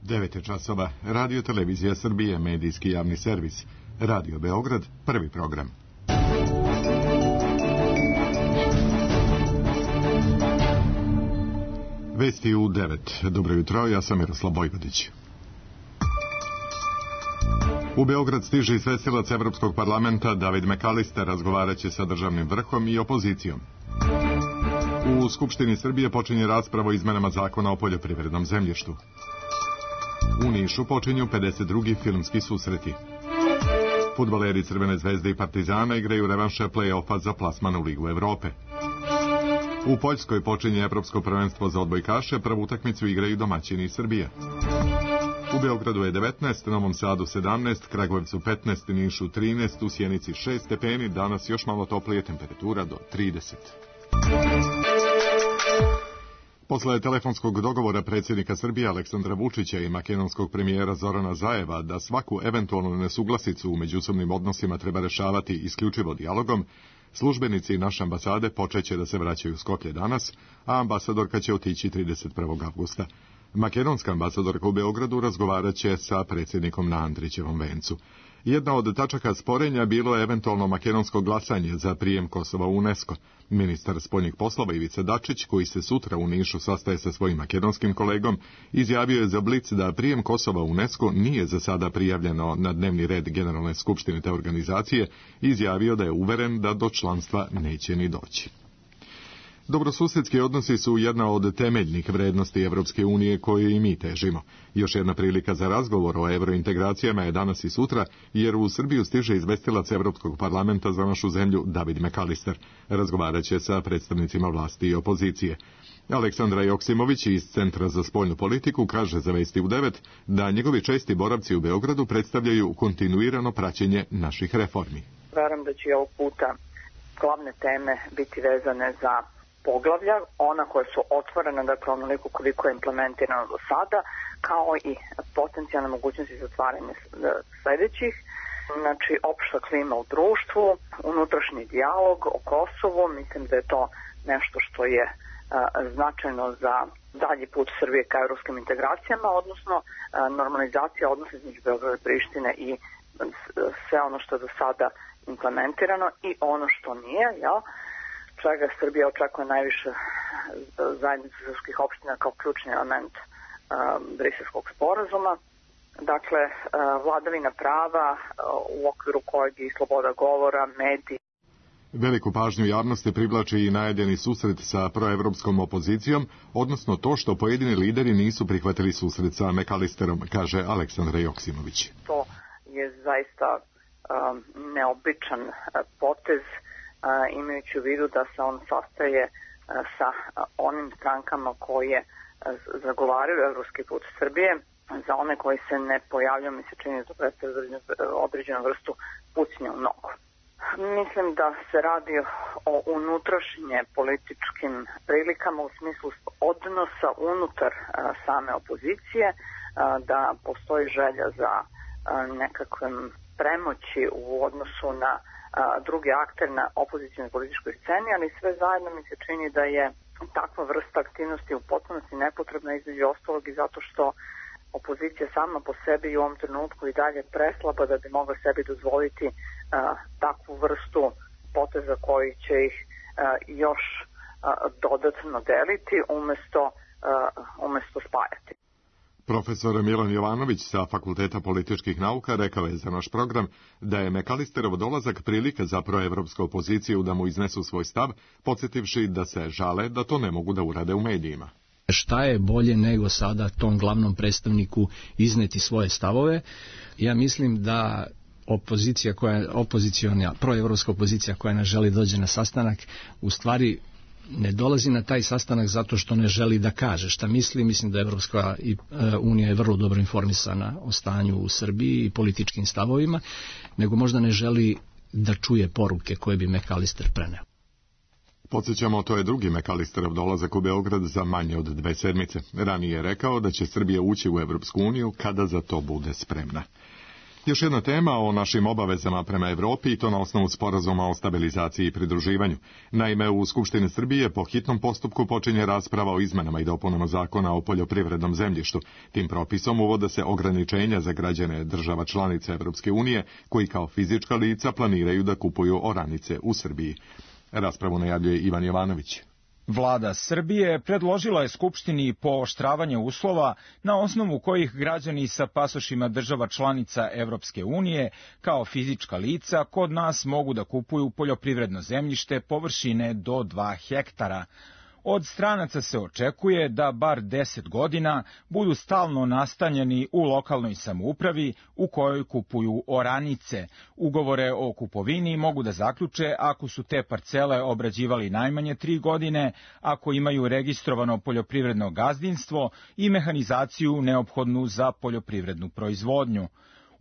9 časova, Radio Televizija Srbije, medijski javni servis, Radio Beograd, prvi program. Vesti u 9. Dobro jutro, ja sam Miroslav Bojvodić. U Beograd stiže izvestilac Evropskog parlamenta David McAllister, razgovaraće sa državnim vrhom i opozicijom. U Skupštini Srbije počinje rasprava o izmenama zakona o poljoprivrednom zemljištu. U Nišu počinju 52. filmski susreti. Fudbaleri Crvene zvezde i Partizana igraju revanše play-offa za plasman u Ligu Evrope. U Poljskoj počinje Evropsko prvenstvo za odbojkaše, prvu utakmicu igraju domaćini iz Srbije. U Beogradu je 19, Novom Sadu 17, Kragujevcu 15, Nišu 13, u Sjenici 6 stepeni, danas još malo toplije, temperatura do 30. Posle telefonskog dogovora predsjednika Srbije Aleksandra Vučića i makedonskog premijera Zorana Zajeva da svaku eventualnu nesuglasicu u međusobnim odnosima treba rešavati isključivo dijalogom, službenici naše ambasade počeće da se vraćaju u Skoplje danas, a ambasadorka će otići 31. avgusta. Makedonska ambasadorka u Beogradu razgovarat će sa predsjednikom na Andrićevom vencu. Jedna od tačaka sporenja bilo je eventualno makedonsko glasanje za prijem Kosova u UNESCO. Ministar spoljnih poslova Ivica Dačić, koji se sutra u Nišu sastaje sa svojim makedonskim kolegom, izjavio je za Blic da prijem Kosova u UNESCO nije za sada prijavljeno na dnevni red Generalne skupštine te organizacije i izjavio da je uveren da do članstva neće ni doći. Dobrosusedski odnosi su jedna od temeljnih vrednosti Evropske unije koje i mi težimo. Još jedna prilika za razgovor o evrointegracijama je danas i sutra, jer u Srbiju stiže izvestilac Evropskog parlamenta za našu zemlju David McAllister. Razgovarat će sa predstavnicima vlasti i opozicije. Aleksandra Joksimović iz Centra za spoljnu politiku kaže za Vesti u 9 da njegovi česti boravci u Beogradu predstavljaju kontinuirano praćenje naših reformi. Verujem da će ovog puta glavne teme biti vezane za poglavlja, ona koja su otvorena, dakle onoliko koliko je implementirano do sada, kao i potencijalne mogućnosti za otvaranje sledećih. Znači, opšta klima u društvu, unutrašnji dijalog o Kosovu, mislim da je to nešto što je značajno za dalji put Srbije ka evropskim integracijama, odnosno normalizacija odnosa između Beograda i Prištine i sve ono što je do sada implementirano i ono što nije, jel? Čega Srbija očekuje najviše zajednice srpskih opština kao ključni element Briselskog sporazuma. Dakle, vladavina prava u okviru kojeg i sloboda govora, mediji. Veliku pažnju javnosti privlači i najavljeni susret sa proevropskom opozicijom, odnosno to što pojedini lideri nisu prihvatili susret sa McAllisterom, kaže Aleksandra Joksimović. To je zaista neobičan potez, imajući u vidu da se on sastaje sa onim strankama koje zagovaraju evropski put Srbije. Za one koji se ne pojavljaju, mi se čini da predstavlja određenu vrstu pucnja u nogu. Mislim da se radi o unutrašnje političkim prilikama u smislu odnosa unutar same opozicije, da postoji želja za nekakvim premoći u odnosu na drugi akter na opozicijnoj političkoj sceni, ali sve zajedno mi se čini da je takva vrsta aktivnosti u potpunosti nepotrebna, između ostalog i zato što opozicija sama po sebi i u ovom trenutku i dalje preslaba da bi mogla sebi dozvoliti takvu vrstu poteza koji će ih još dodatno deliti umesto spajati. Profesor Milan Jovanović sa Fakulteta političkih nauka rekao je za naš program da je McAllisterov dolazak prilika za proevropsku opoziciju da mu iznesu svoj stav, podsjetivši da se žale da to ne mogu da urade u medijima. Šta je bolje nego sada tom glavnom predstavniku izneti svoje stavove? Ja mislim da proevropska opozicija koja ne želi dođe na sastanak, u stvari ne dolazi na taj sastanak zato što ne želi da kaže šta misli. Mislim da Evropska unija je vrlo dobro informisana o stanju u Srbiji i političkim stavovima, nego možda ne želi da čuje poruke koje bi McAllister preneo. Podsjećamo, to je drugi McAllisterov dolazak u Beograd za manje od 2 sedmice. Ranije je rekao da će Srbija ući u Evropsku uniju kada za to bude spremna. Još jedna tema o našim obavezama prema Evropi i to na osnovu sporazuma o stabilizaciji i pridruživanju. Naime, u Skupštini Srbije po hitnom postupku počinje rasprava o izmenama i dopunama zakona o poljoprivrednom zemljištu. Tim propisom uvode se ograničenja za građane država članica Evropske unije koji kao fizička lica planiraju da kupuju oranice u Srbiji. Raspravu najavljuje Ivan Jovanović. Vlada Srbije predložila je Skupštini pooštravanje uslova na osnovu kojih građani sa pasošima država članica Evropske unije kao fizička lica kod nas mogu da kupuju poljoprivredno zemljište površine do 2 hektara. Od stranaca se očekuje da bar 10 godina budu stalno nastanjeni u lokalnoj samoupravi u kojoj kupuju oranice. Ugovore o kupovini mogu da zaključe ako su te parcele obrađivali najmanje 3 godine, ako imaju registrovano poljoprivredno gazdinstvo i mehanizaciju neophodnu za poljoprivrednu proizvodnju.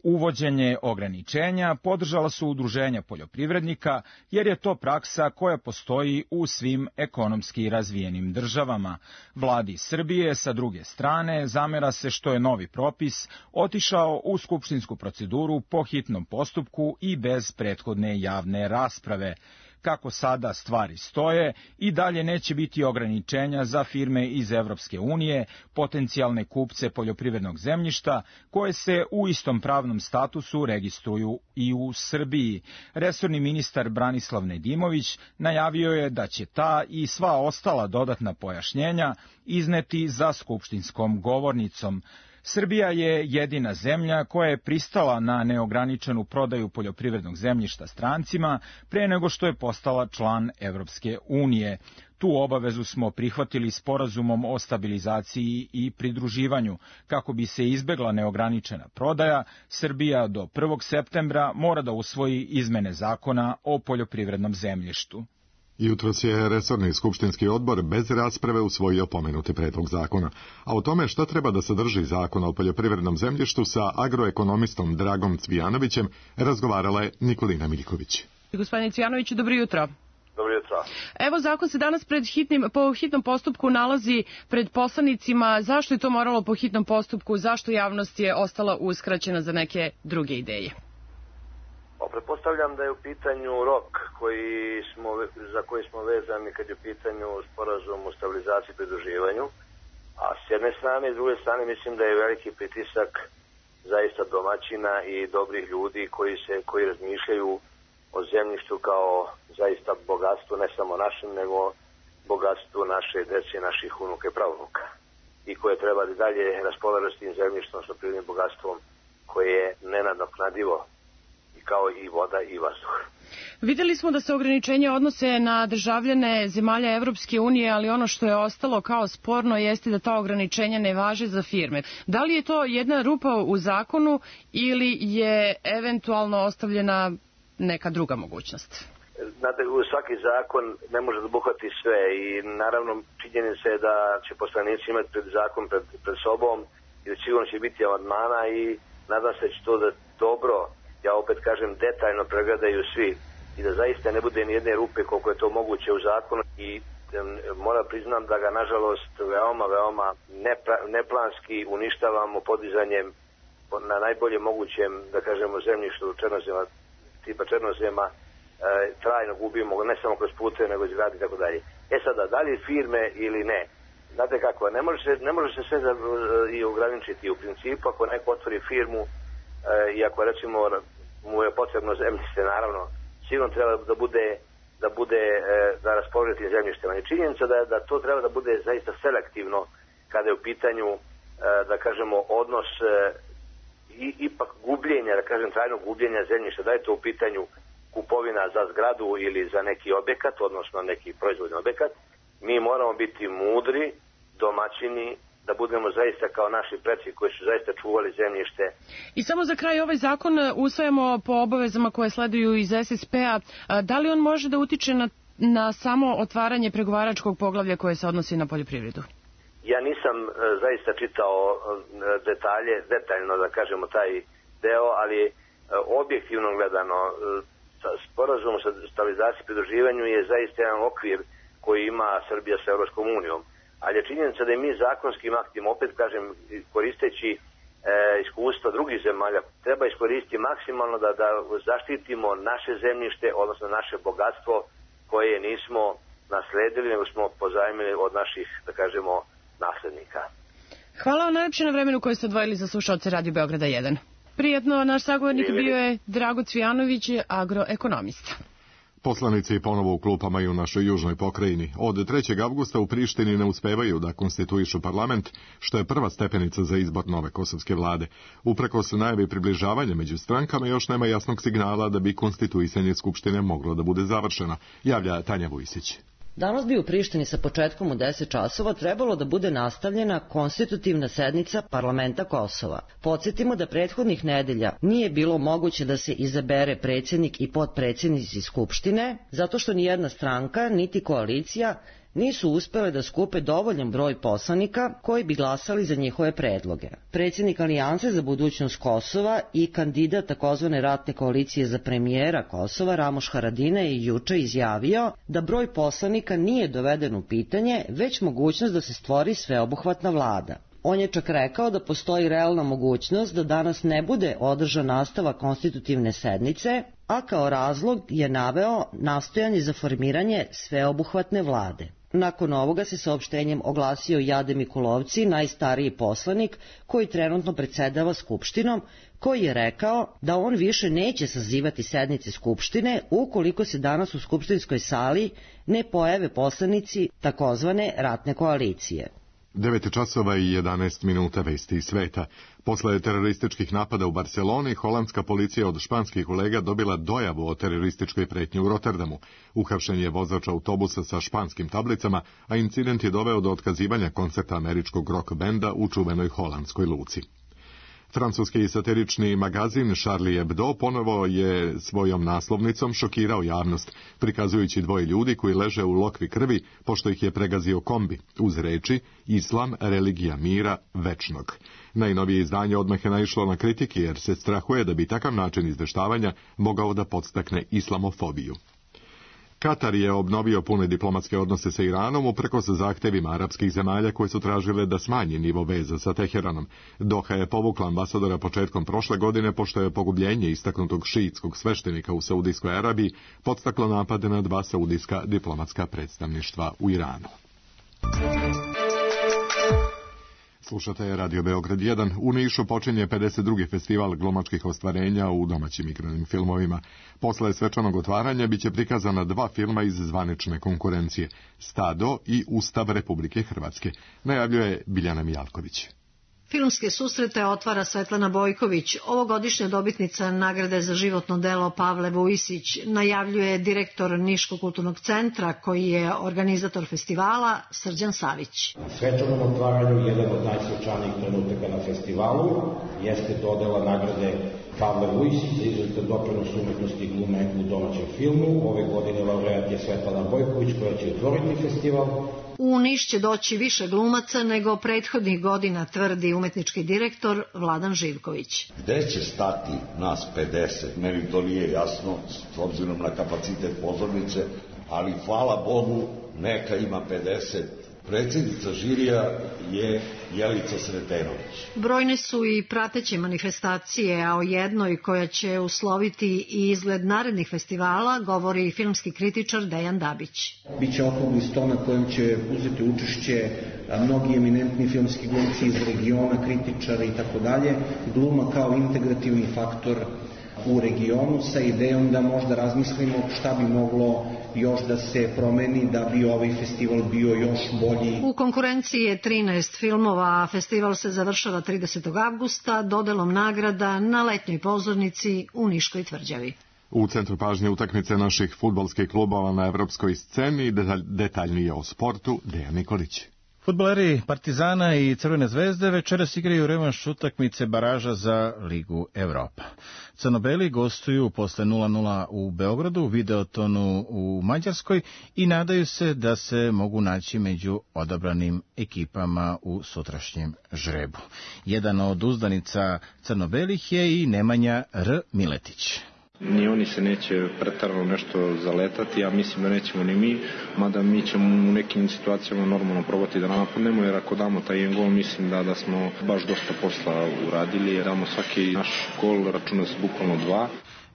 Uvođenje ograničenja podržala su udruženja poljoprivrednika, jer je to praksa koja postoji u svim ekonomski razvijenim državama. Vladi Srbije, sa druge strane, zamera se što je novi propis otišao u skupštinsku proceduru po hitnom postupku i bez prethodne javne rasprave. Kako sada stvari stoje, i dalje neće biti ograničenja za firme iz Evropske unije, potencijalne kupce poljoprivrednog zemljišta, koje se u istom pravnom statusu registruju i u Srbiji. Resorni ministar Branislav Nedimović najavio je da će ta i sva ostala dodatna pojašnjenja izneti za skupštinskom govornicom. Srbija je jedina zemlja koja je pristala na neograničenu prodaju poljoprivrednog zemljišta strancima pre nego što je postala član Evropske unije. Tu obavezu smo prihvatili sporazumom o stabilizaciji i pridruživanju. Kako bi se izbegla neograničena prodaja, Srbija do 1. septembra mora da usvoji izmene zakona o poljoprivrednom zemljištu. Jutros je resorni skupštinski odbor bez rasprave usvojio pomenuti predlog zakona. A o tome šta treba da sadrži zakon o poljoprivrednom zemljištu sa agroekonomistom Dragom Cvijanovićem razgovarala je Nikolina Miljković. Gospodine Cvijanoviću, dobro jutro. Dobro jutro. Evo, zakon se danas po hitnom postupku nalazi pred poslanicima. Zašto je to moralo po hitnom postupku? Zašto javnost je ostala uskraćena za neke druge ideje? Pretpostavljam da je u pitanju rok za koji smo vezani kad je u pitanju sporazum o stabilizaciji i pridruživanju, a s jedne strane i s druge strane mislim da je veliki pritisak zaista domaćina i dobrih ljudi koji razmišljaju o zemljištu kao zaista bogatstvu, ne samo našem, nego bogatstvu naše dece, naših unuka i pravunuka, i koje treba da dalje raspolažu s tim zemljištom, s prirodnim bogatstvom koje je nenadoknadivo, kao i voda i vazduh. Videli smo da se ograničenja odnose na državljane zemalja Evropske unije, ali ono što je ostalo kao sporno jeste da ta ograničenja ne važe za firme. Da li je to jedna rupa u zakonu ili je eventualno ostavljena neka druga mogućnost? Znate, svaki zakon ne može da obuhvati sve i naravno činjenica je da će poslanici imati zakon pred sobom i da sigurno će biti amandmana i nadam se da će to da dobro, ja opet kažem, detaljno pregledaju svi i da zaista ne bude nijedne rupe koliko je to moguće u zakonu, i moram priznam da ga nažalost veoma neplanski uništavamo podizanjem na najbolje mogućem, da kažemo, zemljištu černozema, tipa černozema, trajno gubimo, ne samo kroz pute, nego izgradi i tako dalje. Sada, da li firme ili ne? Znate kako, ne može se sve i ograničiti u principu. Ako neko otvori firmu i ako recimo mu je potrebno zemljište, naravno, sigurno treba da raspolaže tim zemljištem. Ali činjenica da to treba da bude zaista selektivno kada je u pitanju, da kažemo, odnos ipak gubljenja, da kažem, trajnog gubljenja zemljišta. Da je to u pitanju kupovina za zgradu ili za neki objekat, odnosno neki proizvodni objekat, mi moramo biti mudri, domaćini, da budemo zaista kao naši preci koji su zaista čuvali zemljište. I samo za kraj, ovaj zakon usvajamo po obavezama koje sleduju iz SSP-a. Da li on može da utiče na samo otvaranje pregovaračkog poglavlja koje se odnosi na poljoprivredu? Ja nisam zaista čitao detaljno, da kažemo, taj deo, ali objektivno gledano, sporazum o stabilizaciji i pridruživanju je zaista jedan okvir koji ima Srbija sa Evropskom unijom. Ali je činjenica da je mi zakonskim aktima, opet kažem, koristeći iskustva drugih zemalja treba iskoristiti maksimalno da zaštitimo naše zemljište, odnosno naše bogatstvo koje nismo nasledili, nego smo pozajmili od naših, da kažemo, naslednika. Hvala vam najlepše na vremenu koje ste odvojili za slušaoce Radio Beograda 1. Prijetno, naš sagovornik bio je Drago Cvijanović, agroekonomista. Poslanici ponovo u klupama i u našoj južnoj pokrajini. Od 3. avgusta u Prištini ne uspevaju da konstituišu parlament, što je prva stepenica za izbor nove kosovske vlade. Uprkos najavi približavanja među strankama još nema jasnog signala da bi konstituisanje Skupštine moglo da bude završeno, javlja Tanja Vujsić. Danas bi u Prištini sa početkom u 10 časova trebalo da bude nastavljena konstitutivna sednica parlamenta Kosova. Podsjetimo da prethodnih nedelja nije bilo moguće da se izabere predsjednik i potpredsjednici Skupštine, zato što nijedna stranka, niti koalicija, nisu uspele da skupe dovoljan broj poslanika koji bi glasali za njihove predloge. Predsjednik Alijanse za budućnost Kosova i kandidat takozvane ratne koalicije za premijera Kosova, Ramoš Haradinaj, je juče izjavio da broj poslanika nije doveden u pitanje, već mogućnost da se stvori sveobuhvatna vlada. On je čak rekao da postoji realna mogućnost da danas ne bude održan nastavak konstitutivne sednice, a kao razlog je naveo nastojanje za formiranje sveobuhvatne vlade. Nakon ovoga se saopštenjem oglasio Jade Mikulovci, najstariji poslanik koji trenutno predsedava Skupštinom, koji je rekao da on više neće sazivati sednice Skupštine ukoliko se danas u skupštinskoj sali ne pojave poslanici takozvane ratne koalicije. 9 časova i 11 minuta vesti iz sveta. Posle terorističkih napada u Barceloni, holandska policija od španskih kolega dobila dojavu o terorističkoj pretnji u Rotterdamu. Uhapšen je vozač autobusa sa španskim tablicama, a incident je doveo do otkazivanja koncerta američkog rock benda u čuvenoj holandskoj luci. Francuski satirični magazin Charlie Hebdo ponovo je svojom naslovnicom šokirao javnost, prikazujući dvoje ljudi koji leže u lokvi krvi pošto ih je pregazio kombi, uz reči Islam, religija mira, večnog. Najnovije izdanje odmah je naišlo na kritike jer se strahuje da bi takav način izveštavanja mogao da podstakne islamofobiju. Katar je obnovio pune diplomatske odnose sa Iranom uprkos zahtevima arapskih zemalja koje su tražile da smanji nivo veza sa Teheranom. Doha je povukla ambasadora početkom prošle godine pošto je pogubljenje istaknutog šiitskog sveštenika u Saudijskoj Arabiji podstaklo napade na 2 saudijska diplomatska predstavništva u Iranu. Slušate Radio Beograd 1. U Nišu počinje 52. festival glumačkih ostvarenja u domaćim igranim filmovima. Posle svečanog otvaranja biće prikazana 2 filma iz zvanične konkurencije, Stado i Ustav Republike Hrvatske, najavljuje Biljana Mijalković. Filmske susrete otvara Svetlana Bojković, ovogodišnja dobitnica nagrade za životno delo Pavle Vujsić, najavljuje direktor Niškog kulturnog centra koji je organizator festivala Srđan Savić. Na svečanom otvaranju jedan od najsvečanijih trenutaka na festivalu jeste dodela nagrade Pavle Vujsić za izuzetan doprinos umetnosti i glume u domaćem filmu. Ove godine laureat je Svetlana Bojković koja će otvoriti festival. U Niš će doći više glumaca nego prethodnih godina, tvrdi umetnički direktor Vladan Živković. Gde će stati nas 50? Meni to nije jasno s obzirom na kapacitet pozornice, ali hvala Bogu neka ima 50. Predsjednica žirija je Jelica Sretenović. Brojne su i prateće manifestacije, a o jednoj koja će usloviti i izgled narednih festivala govori filmski kritičar Dejan Dabić. Biće okrugli sto na kojem će uzeti učešće mnogi eminentni filmski glumci iz regiona, kritičari i tako dalje. Gluma kao integrativni faktor u regionu sa idejom da možda razmislimo šta bi moglo još da se promeni da bi ovaj festival bio još bolji. U konkurenciji je 13 filmova, a festival se završava 30. avgusta dodelom nagrada na letnjoj pozornici u Niškoj tvrđavi. U centru pažnje utakmice naših fudbalskih klubova na evropskoj sceni, detaljnije o sportu, Dejan Nikolić. Fudbaleri Partizana i Crvene zvezde večeras igraju revanš utakmice baraža za Ligu Evropa. Crnobeli gostuju posle 0:0 u Beogradu, Videotonu u Mađarskoj i nadaju se da se mogu naći među odabranim ekipama u sutrašnjem žrebu. Jedan od uzdanica crnobelih je i Nemanja R. Miletić. Ni oni se neće pretarano nešto zaletati, ja mislim da nećemo ni mi, mada mi ćemo u nekim situacijama normalno probati da napadnemo, jer ako damo taj jedan gol, mislim da smo baš dosta posla uradili, jer damo svaki naš gol, računa se bukvalno 2.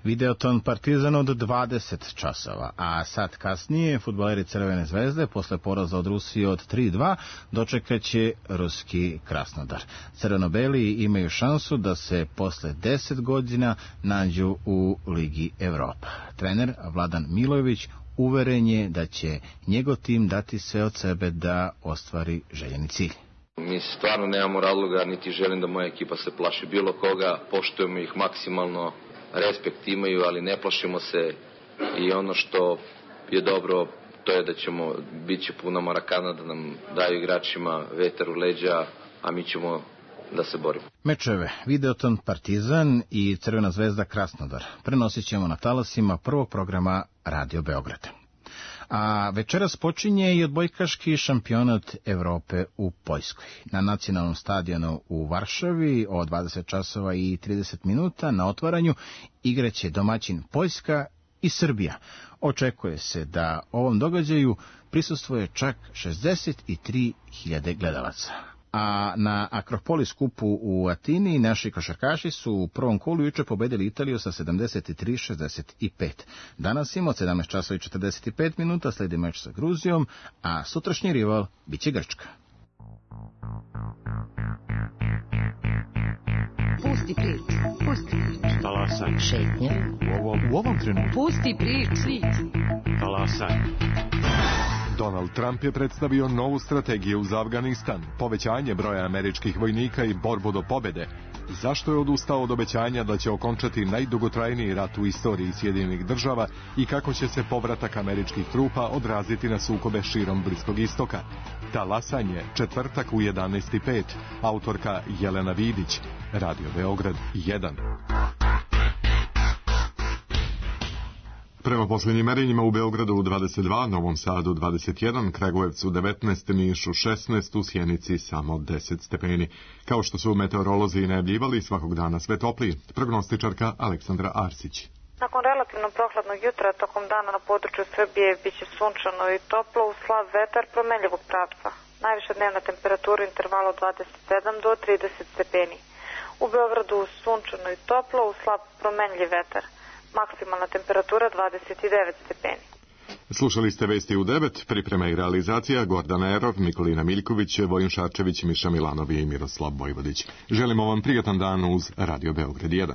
Videoton Partizan od 20 časova, a sad kasnije fudbaleri Crvene zvezde posle poraza od Rusije od 3-2 dočekat će ruski Krasnodar. Crveno-beli imaju šansu da se posle 10 godina nađu u Ligi Evropa. Trener Vladan Milojević uveren je da će njegov tim dati sve od sebe da ostvari željeni cilj. Mi stvarno nemamo razloga, niti želim da moja ekipa se plaši bilo koga, poštujemo ih maksimalno, respekt imaju, ali ne plašimo se i ono što je dobro, to je da bit će puna Marakana, da nam daju igračima vetar u leđa, a mi ćemo da se borimo. Mečeve Videoton Partizan i Crvena zvezda Krasnodar prenosit ćemo na talasima prvog programa Radio Beograd. A večeras počinje i odbojkaški šampionat Evrope u Poljskoj. Na nacionalnom stadionu u Varšavi od 20 časova i 30 minuta na otvaranju igraće domaćin Poljska i Srbija. Očekuje se da ovom događaju prisustvuje čak 63.000 gledalaca. A na Akropoli skupu u Atini naši košarkaši su u prvom kolu juče pobedili Italiju sa 73-65. Danas im od 17 časova i 45 minuta sledi meč sa Gruzijom, a sutrašnji rival biće Grčka. Pusti priču. Talasaj. Šetnja. U ovom trenutku. Pusti priču. Talasaj. Donald Trump je predstavio novu strategiju za Afganistan, povećanje broja američkih vojnika i borbu do pobede. Zašto je odustao od obećanja da će okončati najdugotrajniji rat u istoriji Sjedinjenih država i kako će se povratak američkih trupa odraziti na sukobe širom Bliskog istoka? Talasanje, četvrtak u 11:05. Autorka Jelena Vidić. Radio Beograd 1. Prema posljednjim merenjima u Beogradu 22, Novom Sadu 21, Kragujevcu 19, Nišu 16, u Sjenici samo 10 stepeni. Kao što su meteorolozi najavljivali, svakog dana sve topliji. Prognostičarka Aleksandra Arsić. Nakon relativno prohladnog jutra, tokom dana na području Srbije biće sunčano i toplo, uz slab vetar promenljivog pravca. Najviša dnevna temperatura u intervalu od 27 do 30 stepeni. U Beogradu sunčano i toplo, uz slab promenljiv vetar. Maksimalna temperatura 29 stepeni. Slušali ste Vesti u 9, priprema i realizacija Gordana Erov, Nikolina Miljković, Vojin Šarčević, Miša Milanovi i Miroslav Vojvodić. Želimo vam prijatan dan uz Radio Beograd 1.